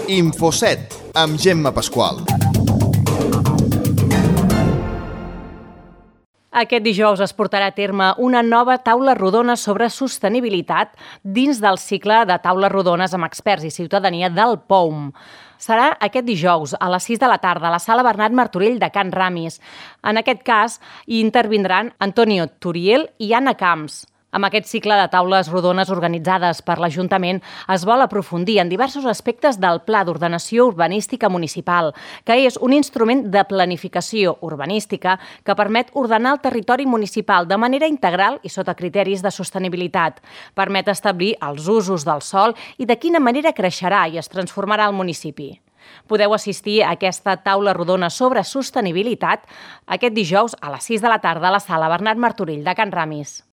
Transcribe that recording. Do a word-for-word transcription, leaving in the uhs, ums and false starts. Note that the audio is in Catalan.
Infoset, amb Gemma Pasqual. Aquest dijous es portarà a terme una nova taula rodona sobre sostenibilitat dins del cicle de taules rodones amb experts i ciutadania del P O U M. Serà aquest dijous a les sis de la tarda a la sala Bernat Martorell de Can Ramis. En aquest cas hi intervindran Antonio Turiel i Anna Camps. Amb aquest cicle de taules rodones organitzades per l'Ajuntament es vol aprofundir en diversos aspectes del Pla d'Ordenació Urbanística Municipal, que és un instrument de planificació urbanística que permet ordenar el territori municipal de manera integral i sota criteris de sostenibilitat. Permet establir els usos del sòl i de quina manera creixerà i es transformarà el municipi. Podeu assistir a aquesta taula rodona sobre sostenibilitat aquest dijous a les sis de la tarda a la sala Bernat Martorell de Can Ramis.